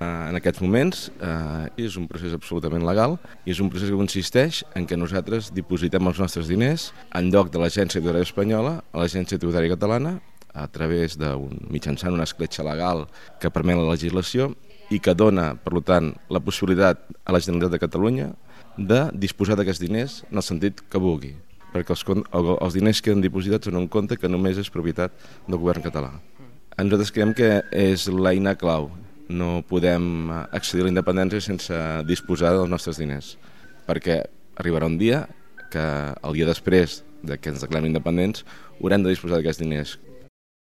En aquests moments és un procés absolutament legal i és un procés que consisteix en què nosaltres dipositem els nostres diners en lloc de l'Agència Tributària Espanyola a l'Agència Tributària Catalana a través mitjançant una escletxa legal que permet la legislació i que dona, per tant, la possibilitat a la Generalitat de Catalunya de disposar d'aquests diners en el sentit que vulgui, perquè els diners queden dipositats en un compte que només és propietat del govern català. Nosaltres creiem que és l'eina clau. No podem accedir a la independència sense disposar dels nostres diners, perquè arribarà un dia que el dia després que ens declarem independents haurem de disposar d'aquests diners.